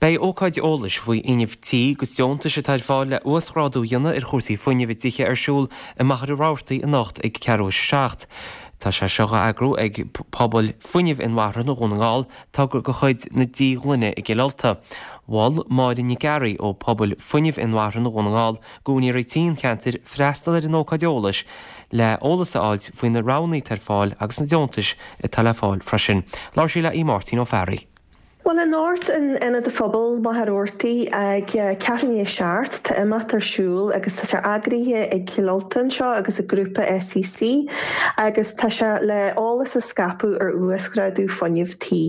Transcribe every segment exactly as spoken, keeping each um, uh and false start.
Beidh ócáid eolais faoi fhuinneamh tí agus deontais atá ar fáil le uasghrádú a dhéanamh ar chúrsaí fuinnimh i dtithe ar siúl i Machaire Rabhartaigh anocht ag ceathrú a seacht. Tá sé seo á eagrú ag Pobal Fuinnimh Inmharthana Dhún na nGall, togra de chuid na Díghlaine i gCill Ulta. Mhol Máire Nic Fhearraigh ó Pobal Fuinnimh Inmharthana Dhún na nGall d'úinéirí tí an cheantair freastal ar an ócáid eolais le eolas a fháilt faoi na roghanna atá ar fáil agus na deontais atá le fáil freisin. Labhair sí le Aodh Máirtín Ó Fearraigh. Well anocht in Ionad an Phobail Machaire Rabhartaigh ag ceathrú i ndiaidh a seacht tá imeacht ar siúl agus tá sé eagraithe ag Cill Ulta anseo agus a grúpa SEC agus tá sé le eolas a scaipeadh ar uasghrádú fuinnimh tí.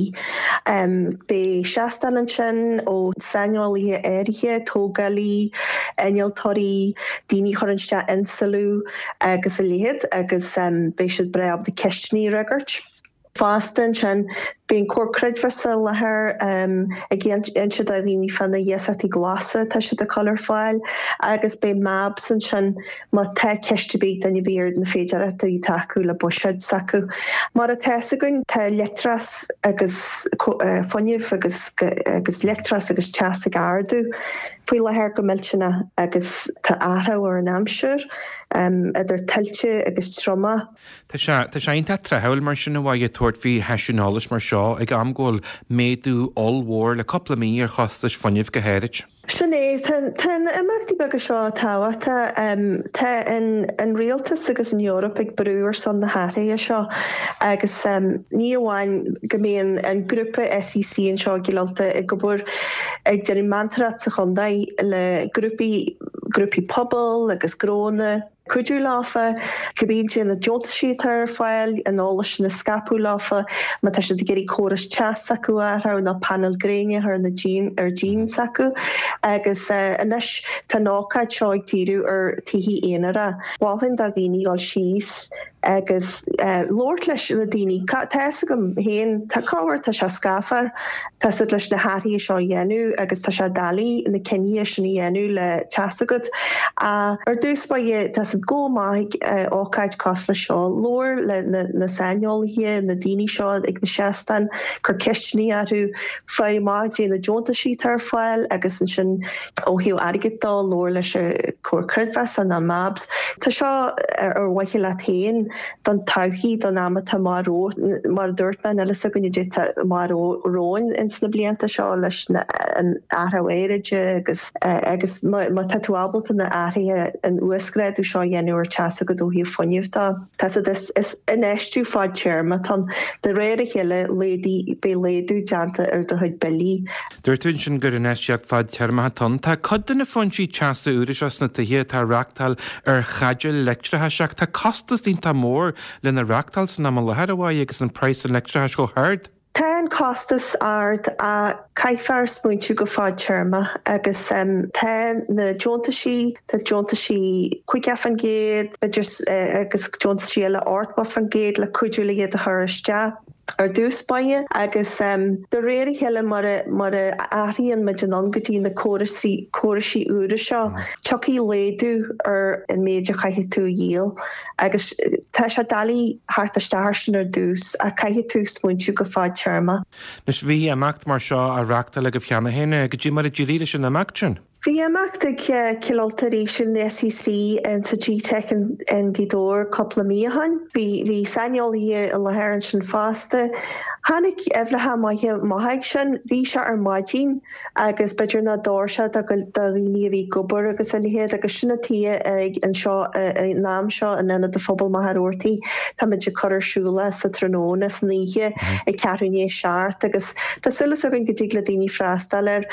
Um, Beidh seastán ansin ó saineolaithe áirithe, tógálaí, innealtóirí, daoine a chuireann isteach insliú agus a leithéid agus um, beidh siad breá ábalta ceisteanna a fhreagairt. Fosta ansin beidh an Comhar Creidmheasa i láthair um, ag inse do dhaoine fá na hiasachtaí glasa tá siad ag cur ar fáil agus beidh MABS ansin má tá ceist ar bith ag duine ar bith ar na féidearthachtaí atá acu le buiséad s'acu. Mar atá fhios againn tá leictreachas agus uh, fuinneamh agus agus leictreachas agus teas ag ardú faoi láthair go millteanach agus tá athrú ar an aimsir um, idir tuilte agus triomach. Tá sé tá sé iontach tráthúil mar sin a bheith ag tabhairt faoi sheisiún eolais mar seo ag am go bhfuil méadú ollmhór le cúpla mí ar chostais fuinnimh go háirid. Sin é tá na imeachtaí beaga seo tábhachtach tá an an rialtas agus an Eoraip ag brú ar son na hathruithe seo agus um, ní amháin go mbíonn an grúpa SEC anseo i gCill Ulta ag obair ag déanamh meantóireacht sa chontae le grúpaí grúpaí pobail agus gnónna cuidiú leofa, cibé na deontaisí atá ar fáil an eolas sin a scaipeadh leofa, má tá siad ag iarraidh córas teas acu athrú nó painéil gréine ar na díon ar díon s'acu agus uh, anois tá an ócáid seo ag díriú ar tithe aonair. Mholfainn do dhaoine dul síos agus uh, labhairt leis na daoine Tá agam féin tá cabhair tá sé scafar Tá siad leis na hathruithe seo dhéanamh agus tá sé doiligh na cinntí sin a dhéanamh le teas agat. Uh, ar dtús báire tá siad go maith uh, ócáid cosúil le seo labhair le na, na saineolaithe na daoine seo ag na seastáin cuir ceisteanna orthu faigh amach cad é na deontaisí ar fáil agus ansin ó thaobh airgid de labhair leis an Comhar Creidmheasa na MABS. Tá seo ar ar mhaithe leat féin don todhchaí don am atá mar mar dúirt mé eile gunne mar róin ins na blianta seo leis an athrú aeráide agus agus má tá tú ábalta na hathruithe an uasghrádú seo dhéanamh ar teas agat ó thaobh fuinnimh de. Tá is is infheistiú fadtéarmach atá ann de réir a chéile léadaí beidh laghdú déanta ar do chuid billí. Dúirt tú sin gur infheistíocht fadtéarmach atá ann. Tá cuid de na foinsí teasa úra seo sna tithe atá reachtáil ar chaidéil leictreachais ach tá costas iontach mór lena reachtáil san am i láthair a bhaid agus an praghas an leictreachais chomh hard. Tá an costas ard a caithfear smaointiú go fadtéarmach agus um, tá na deontaisí tá deontaisí caoga faoin gcéad uh, agus deontaisí eile ochtó faoin gcéad le cuidiú le iad a chur isteach. ar dtús báire agus um, de réir a chéile mar mar a athraíonn muid anonn go dtí na córaisí córaisí úra seo tiocfaidh laghdú ar an méid a chaithfidh tú a dhíol agus tá sé doiligh theacht isteach sin ar dtús a caithfidh tú smaointiú go fadtéarmach. Anois bhí imeacht mar seo á reachtáil agaibh cheana féin cad é mar a d'éirigh leis an imeacht sin. Bhí imeacht ag Cill Ulta arís an SEC an sa GTeic in Gaoth Dobhair cúpla mí ó shin. Bhí bhí saineolaithe i láthair ansin fosta. Tháinig uimhreacha maithe maith sin, bhí sé ar maidin agus b'fhéidir nach d'fhóir sé do dhaoine a bhí ag obair agus a leithéid agus sin atá ag anseo an am seo in Ionad an Phobail Machaire Rabhartaigh Táimid ag cur ar siúl sa tráthnóna san oíche ag ceathrú i ndiaidh a seacht agus tá súil againn go dtig le daoine freastal air.